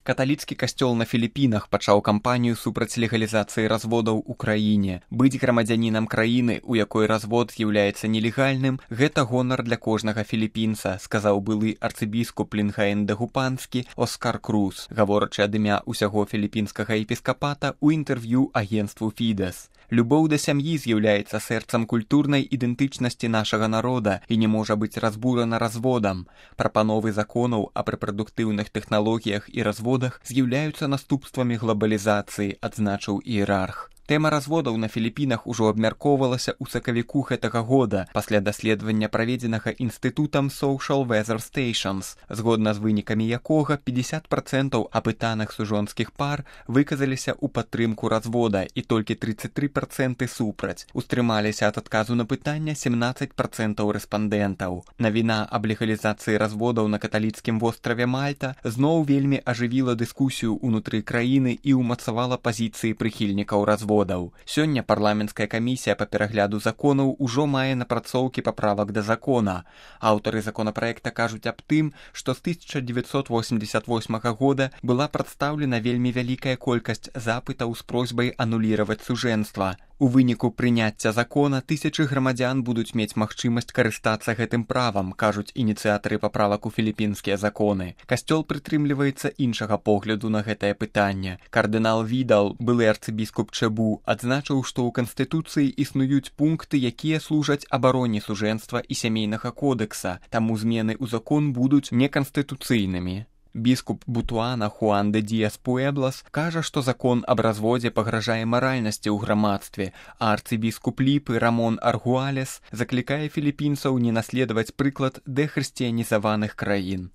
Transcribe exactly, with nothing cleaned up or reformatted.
Каталіцкі касцёл на Філіпінах пачаў кампанію супраць легалізацыі разводаў у краіне. Быць грамадзянінам краіны, у якой развод з'яўляецца нелегальным, гэта гонар для кожнага філіпінца, сказаў былы арцыбіскуп Лінгаен-Дагупанскі Оскар Круз, гаворачы ад імя ўсяго філіпінскага епіскапата ў інтэрв'ю агенству Фідэс. Любоў да сям'і з'яўляецца сэрцам культурнай ідэнтычнасці нашага народа і не можа быць разбурана разводам. Прапановы законаў аб рэпрадуктыўных тэхналогіях і разводах з'яўляюцца наступствамі глабалізацыі, адзначыў іерарх. Тэма разводаў на Філіпінах ужо абмяркоўвалася ў сакавіку гэтага года пасля даследавання, праведзенага інстытутам Social Weather Stations, згодна з вынікамі якога пятьдесят процентаў апытаных сужонскіх пар выказаліся ў падтрымку развода і толькі тридцать три проценты супраць. Устрымаліся ад адказу на пытання семнадцать процентаў рэспандэнтаў. Навіна аб легалізацыі разводаў на каталіцкім востраве Мальта зноў вельмі ажывіла дыскусію ўнутры краіны і ўмацавала пазіцыі прыхільнікаў развода. Сёння парламенцкая камісія па перагляду законаў ужо мае напрацоўкі паправак да закона. Аўтары законапраекта кажуць аб тым, што з тысяча дзевяцьсот восемьдесят восьмага года была прадстаўлена вельмі вялікая колькасць запытаў з просьбай ануліраваць сужэнства. У выніку прыняцця закона тысячы грамадзян будуць мець магчымасць карыстацца гэтым правам, кажуць ініцыятары паправак у філіпінскія законы. Касцёл прытрымліваецца іншага погляду на гэтае пытанне. Кардынал Відал, былы арцыбіскуп Чэбу, адзначыў, што ў Канстытуцыі існуюць пункты, якія служаць абароне сужэнства і сямейнага кодэкса, таму змены ў закон будуць неканстытуцыйнымі. Біскуп Бутуана Хуан де Диас Пуэблас кажа, што закон аб разводзе пагражае маральнасці ў грамадстве, а арцыбіскуп Ліпы Рамон Аргуалес заклікае філіпінцаў не наследаваць прыклад дэхрысціянізаваных краін.